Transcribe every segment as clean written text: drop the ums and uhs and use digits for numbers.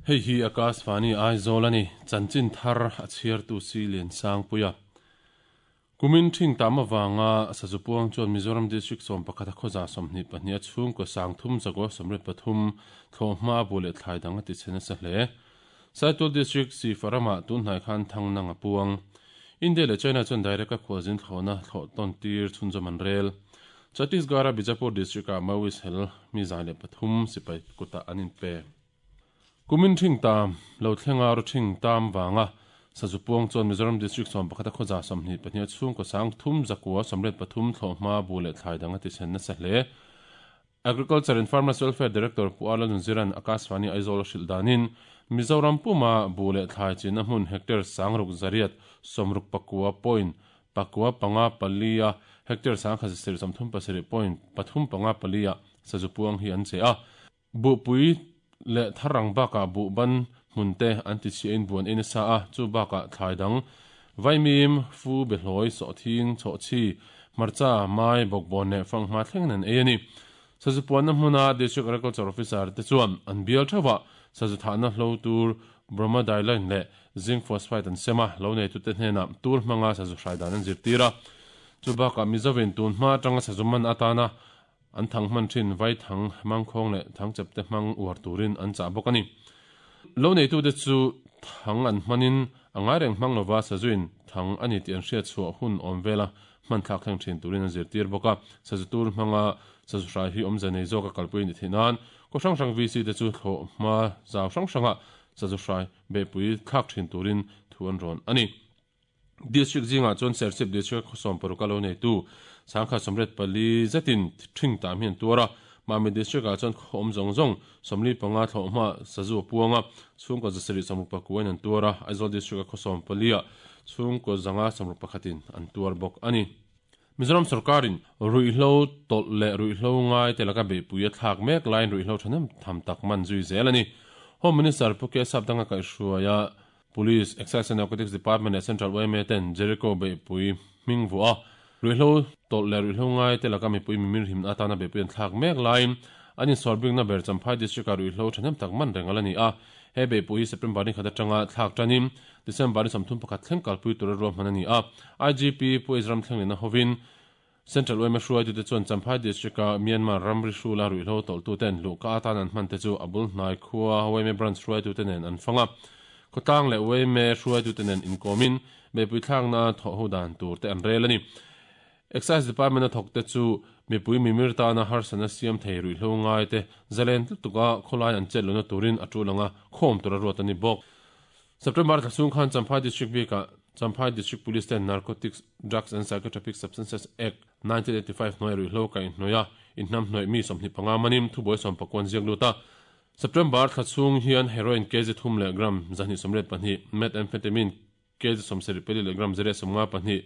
Hei hi Akashvani Aizawl a ni, chanchin thar a chhiartu si Liansangpuia. Kumin thing tam avanga sazu puang chuan Mizoram District 11 a khawza 22 a chhungkaw sang thum zakaw 83 thlawhhma bu leh thlai dang a ti chhe nasa hle. Saitual District Sihfa ramah tun hnai khan thang nang a puang. India leh China chuan direct a khualzin thlawhna thlawh tawn tir chhunzawm an rel. Chhattisgarh a Bijapur District ah Maoist hel mi 103 sipai kutah an inpe. Kumin thing tam lo thlenga ru thing tam vanga sazu puang chuan Mizoram District 11 a khawza 22 a chhungkaw sang thum zakua 83 thlawhhma bu leh thlai dang a ti chhen nasa hle. Agriculture and Farmers Welfare Director Pu Arla Nunziran Akashvani Aizawl a hrilh danin Mizoram puma bu leh thlai chinna hmun hectare sangruk zariat sawmruk pakua point pakua panga palia hectare sangkhat zasarih 37 point pathum panga palia sazu puang hi an che a. Bu pui leh tharang baka bu ban hmunte an ti chi in buan in sa a chu baka thlai dang vaimim fu be hloi so thing cho chi marcha mai bok bon ne fang ma thleng nan e ani. Sazu puan na hmuna District Agriculture Officer te chuan an bial thawa sazu thana hlo tur bromadiline le zinc phosphide an sema lo nei tu te hnena tur hmanga sazu hrai dan an zirtira. Chu baka mizovin tun hma tanga sazu man atana an thang man thin vai thang mang khong le thang chepte mang uar turin an cha bawk ani. Lo nei tu te chu thang an manin angai reng mang lova sazuin thang ani ti an hriat chhuah hun awm vela man thlak thleng thin turin an zirtir bawk a. Sazu tur hmanga sazu hrai hi awm zanei zawk a kalpui ni theihnan ko hrang hrang VC te chu thlawh hma zau hrang hranga sazu hrai bepui thlak thin turin thu an rawn ani. District zinga chuan Serchhip District khawsawm paruk a lo nei tu sangkhat 84 zetin thing tam hian tuara. Mami District ah chuan khawm zawng zawng 45 thlawh hma sazu puanga chhungkaw zasarih sawmruk pakuain an tuara. Aizawl District a khawsawm palia chhungkaw zanga 61 an tuar bawk ani. Mizoram sarkarin ruihhlo tawlh leh ruihhlo ngai te laka beihpui a thlak mek laiin ruihhlo thahnem tham tak man zui zel ani. Home Minister Pu Kesap danga kaihhruaia Police, Excise and Narcotics Department leh Central YMA ten Jericho beihpui hming vuah a ruihhlo tawlh leh ruihhlo ngai te laka mipui mimir himna atana beihpui an thlak mek laiin an insawrbikna ber Champhai District ah ruihhlo thahnem tak man reng ala ni a. He beihpui hi September ni khat atanga thlak tanin December ni 31 thleng kalpui tura ruahman ani a. IGP Pu Ezram Thlenglena hovin Central YMA hruaitu te chuan Champhai District a Myanmar ramri hrula ruihhlo tawlhtu ten luhka atan an hman te chu a bul hnai khua YMA branch hruaitu te nen an fanga. Khawtlang leh YMA hruaitu te nen inkawmin beihpui thlakna thawh ho dan tur te an rel ani. Excise Department a thawk te chu mipui mimir tana harsana siam thei ruihhlo ngai te zalen tuka khawlai an chet lona turin a tulanga khawm tura ruat ani bawk. September thlasung khan Champhai District bika Champhai District Police ten Narcotics Drugs and Psychotropic Substances Act 1985 hnuai ruihhlo ka inhnuaia inhnam hnuai mi 25 manim thubuai 19 ziak luta. September thlasung hian heroin kg 3 leh gram 222 methamphetamine kg 74 leh gram 0.52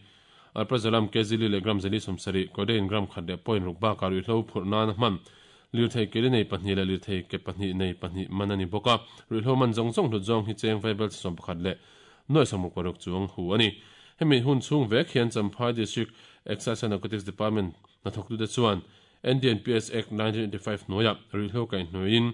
alprazolam kg li leh gram 170 codeine gram khat leh point ruk baka ruihhlo phurh nan hman lirthei ke li nei pahnih leh lirthei ke pahnih nei pahnih man ani bawk a. Ruihhlo man zawng zawng hlut zawng hi cheng vaibel chi 11 leh nuai 66 chuang hu ani. Hemi hun chhung vek hian Champhai District Excise and Narcotics Department hnathawk tu te chuan NDNPS Act 1985 hnuaia ruihhlo kaihhnuaiin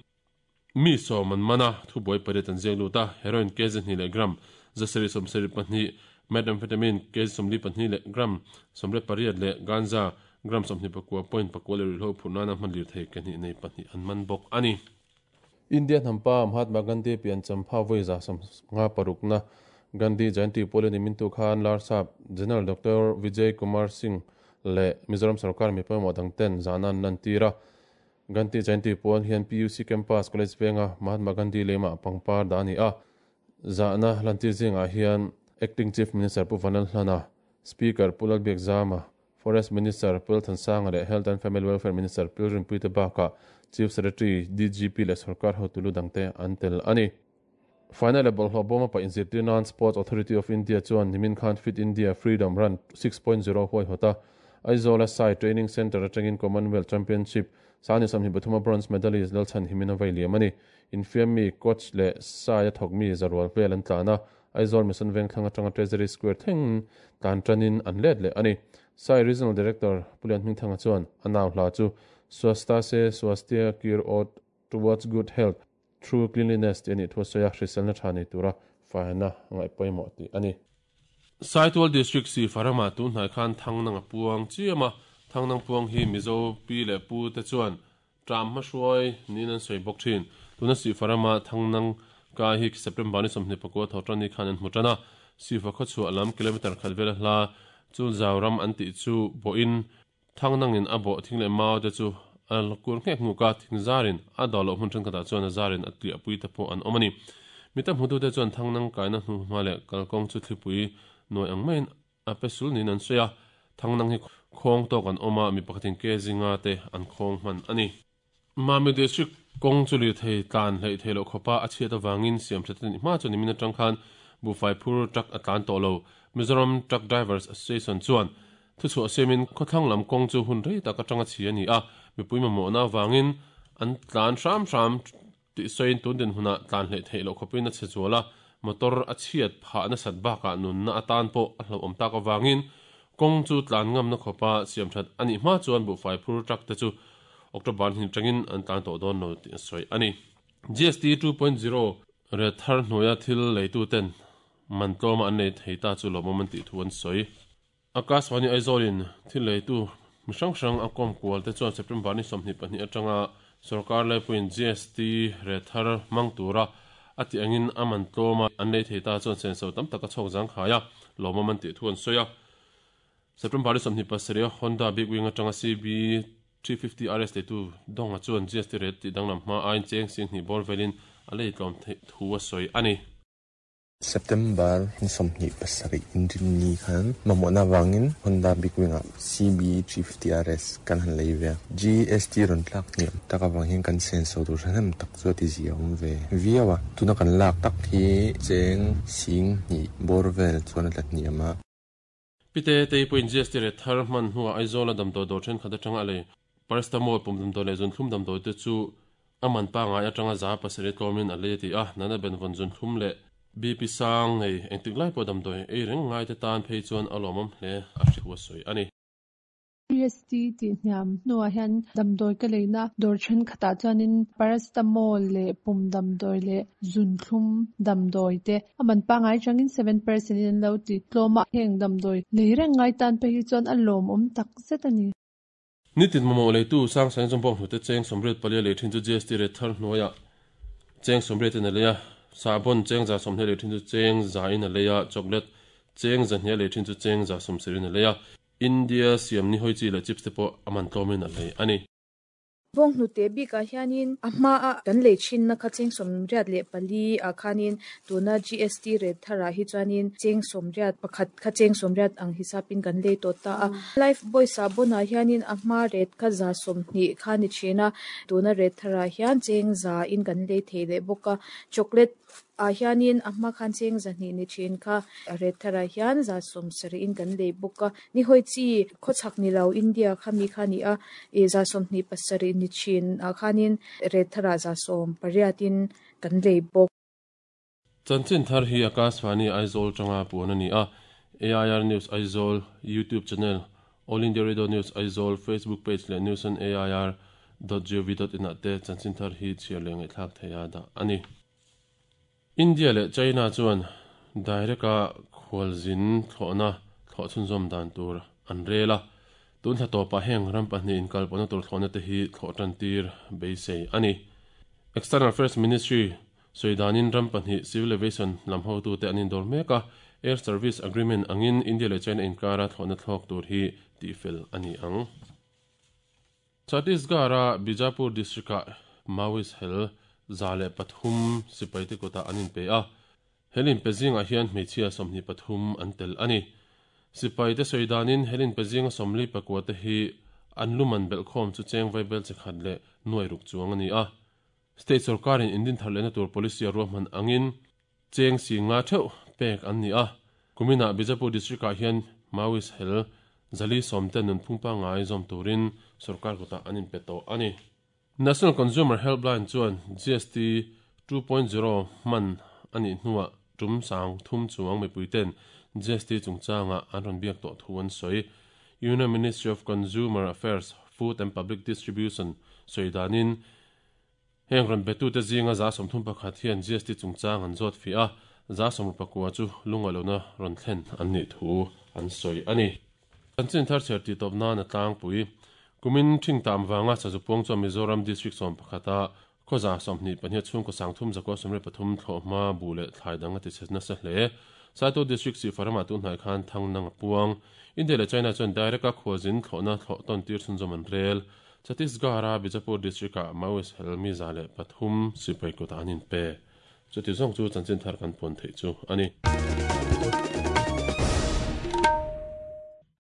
mi sawm an mana thubuai pariat an ziak lut a. Heroin kg 2 leh gram 772 methamphetamine kg 42 leh gram 18 leh ganja gram 29 point pakua leh ruihhlo phurh nana hman lirthei ke hnih nei pahnih an man bawk ani. India hnampa Mahatma Gandhi pian Champha vawiza 56 na Gandhi Jayanti Pawlin imintu khan Larsap General Dr. Vijay Kumar Singh leh Mizoram Sarkar mi pawimawh dang ten zana an lan tir a. Gandhi Jayanti pawn hian PUC Campus College venga Mahatma Gandhi lema pangpar da ani a. Zana lantir zingah hian Acting Chief Minister Pu Vanlal Hlana, Speaker Pu Lalbiak Zama, Forest Minister Pu Lalthansanga leh Health and Family Welfare Minister Pu Rinpui te bakah Chief Secretary DGP leh Sarkar hotulu dangte an tel ani. Final leh bawlhhlawh bawma pa inzirtir nan Sports Authority of India chuan nimin khan Fit India Freedom Run 6.0 huai hawta Aizawl a Sai Training Centre atangin Commonwealth Championship sani 23 bronze medalist Lalchhan Himina vai liam ani. Infiam mi coach leh Sai a thawk mi zarual vel an tlana Aizawl Mission Vengthlang atanga Treasury Square thlengin tlan tanin an let leh a ni. Sai Regional Director Pu Lianhmingthanga chuan a nau hla chu Swasta se Swasthya Kir Ot Towards Good Health Through Cleanliness tih a nih thu a sawi a, hriselna tha nei tura faina ngaih pawimawh tih a ni. Saitual District Sifa ramah tun hnai khan Thangnang a puang chiam a, Thangnang puang hi Mizo pi leh pu te chuan Ṭam hmahruai niin an sawi bawk ṭhin. Tuna Sifa rama Thangnang kai hi September ni 29 tho ṭan ni khan an hmu ṭan a, Sifa khawchhuah lam kilometre khat vela hla chu Zau ram an tih chu bawhin Thangnangin a bawh thing leh mau te chu a la kur nghek nghuk a, thing zarin a dawh loh hmun ṭhenkhatah chuan a zarin a tliahpui te pawh an awm a ni. Mi tam hmutute chuan Thangnang kaina hnuhma leh kalkawng chu thlipui nuai ang maiin A pe sul niin an sawi a, Thangnang hi khawng tawk an awm a, mi pakhatin ke zinga te an khawng hman a ni. Mami District kawng chu lirthei tlan hleih theih loh khawpa a chhiat avangin siam that a nih hma chuan nimin atang khan buhfai phur truck a tlan tawh lo. Mizoram Truck Drivers Association chuan thuchhuah siamin khawthlang lam kawng chu hun rei tak atanga chhi a ni a, mipui mamawhna avangin an tlan hram hram Tih sawiin tun dinhmunah tlan hleih theih loh khawpin a chhe zual a, motor a chhiat phah nasat bakah nunna atan pawh a hlauhawm tak avangin kawng chu tlan ngamna khawpa siam that a nih hma chuan buhfai phur truck te chu October hnih atangin an tlan tawh dawn lo tih a sawi a ni. GST 2.0 ret thar hnuaia thil leituten man tlawma an lei thei ta chu lawmawm an tih thu an sawi. Akashvani Aizawlin thil leitu mi hrang hrang a kawm kual te chuan September ni 22 atanga sorkar laipuiin GST ret thar hmang tura a tih angin a man tlawm a, an lei thei ta chuan senso tam tak a chhawk zangkhai a, lawmawm an tih thu an sawi a. September ni 27 a Honda Big Wing atanga CB 350 RS leitu Donga chuan GST ret tih danglam hma aiin cheng 20,000 bawr velin a lei tlawm theih thu a sawi a ni. September ni 27 inrinni khan mamawhna avangin Honda Big Wing-ah CB 350 RS kan han lei ve a. GST rawn tlak hniam tak avang hian kan senso tur hrehnem tak chu a ti zia awm ve viau a. Tuna kan lak tak hi cheng 20,000 bawr vel chuan a tla hniam a. Pite tei pawhin GST ret thar hman hnuah Aizawla damdawi dawr thenkhat atanga a lei Paracetamol pum damdawi leh zunthlum damdawi te chu a man pangngai atanga 700 tlawmin a lei a ti a, Nana Benvawn zunthlum leh BP sang nei engtik lai pawh damdawi ei reng ngaite tan phei chuan a lawmawm hle a hri thu a sawi a ni. GST tih hniam hnuah hian damdawi ka leina dawr thenkhatah chuanin paracetamol leh pum damdawi leh zunthlum damdawi te a man pangngai atangin 7% in an lo ti tlawm a, heng damdawi lei reng ngai tan phei hi chuan a lawmawm tak zet a ni. Nitin mamawh leitu Sangsang Zawmbawk hnute cheng 84 a lei thin chu GST rate thar hnuaiah cheng 80 in a lei a, sahbawn cheng 120 a lei thin chu cheng 100 in a lei a, chocolate cheng 200 a lei thin chu cheng 170 in a lei a. India siam ni hawi chi leh chips te pawh a man tlawmin a lei a ni. Bawng hnute bikah hianin a hmaa kan lei thinna kha cheng 84 ah khanin tuna GST rate tharah hi chuanin cheng 81 kha cheng 80 ang hisapin kan lei tawh ta a. Life Boy sahbawnah hianin a hma rate kha 120 kha ni thin a, tuna rate tharah hian cheng 100 in kan lei thei leh bawk a. Chocolate ah hianin a hma khan cheng 200 ni thin kha rate tharah hian 170 in kan lei bawk a. Ni hawi chi khawchhak ni lo India kha mi kha a ni a, ih 127 ni thin ah khanin rate tharah 180 in kan lei bawk. Chanchin thar hi Akashvani Aizawl tanga puan a ni a, AIR News Aizawl YouTube channel, All India Radio News Aizawl Facebook page leh news on air dot gov dot in ah te chanchin thar hi chhiar leh ngaihthlak theih a dah a ni. India leh China chuan direct a khualzin thlawhna thlawh chhunzawm dan tur an rel a, tun thla tawpah heng ram pahnih inkalpawhna tur thlawhna te hi thlawh tan tir beisei a ni. External Affairs Ministry sawi danin ram pahnih civil aviation lam hotute an indawr mek a, Air Service Agreement angin India leh China inkara thlawhna thlawk tur hi tihfel a ni ang. Chhattisgarh-a Bijapur district-ah Maoist hel 103 sipaite kutah an inpe a, hel inpe zingah hian hmeichhia 23 an tel a ni. Sipaite sawi danin hel inpe zinga 44 te hi an luman belhkhawm chu cheng vaibel chi khat leh nuai ruk chuang a ni a. State sorkarin indin thar lehna tur policy a ruahman angin cheng 50 theuh pek an ni a. Kuminah Bijapur district-ah hian Maoist hel 410 te nunphung pangngai zawm turin sorkar kutah an inpe tawh a ni. National Consumer Helpline chuan GST 2.0 hman a nih hnuah tum 30 chuang mipuiten GST chungchanga an rawn biak tawh thu an sawi. Union Ministry of Consumer Affairs, Food and Public Distribution sawi danin heng rawn betute zinga 31% hian GST chungchang an zawt fi a, 69% chu lungalona rawn thlen an nih thu an sawi ani. Chanchin thar chhiar tih tawp nan a tlangpui. Kumin thing tam wanga sazu puang chuan Mizoram District 11 a khawza 22 chhungkaw 3,923 thlawhhma bu leh thlai dang a ti chhe nasa hle. Saitual District si farama tu hnai khan thang nang a puang. India leh China chuan direct a khuazin thlawhna thlawh tawn tir chhunzawm an rel. Chhattisgarh a Bijapur District ah Maoist helmi 103 sipai kutah an inpe. Chuti zawng chu chanchin thar kan puan theih chu ani.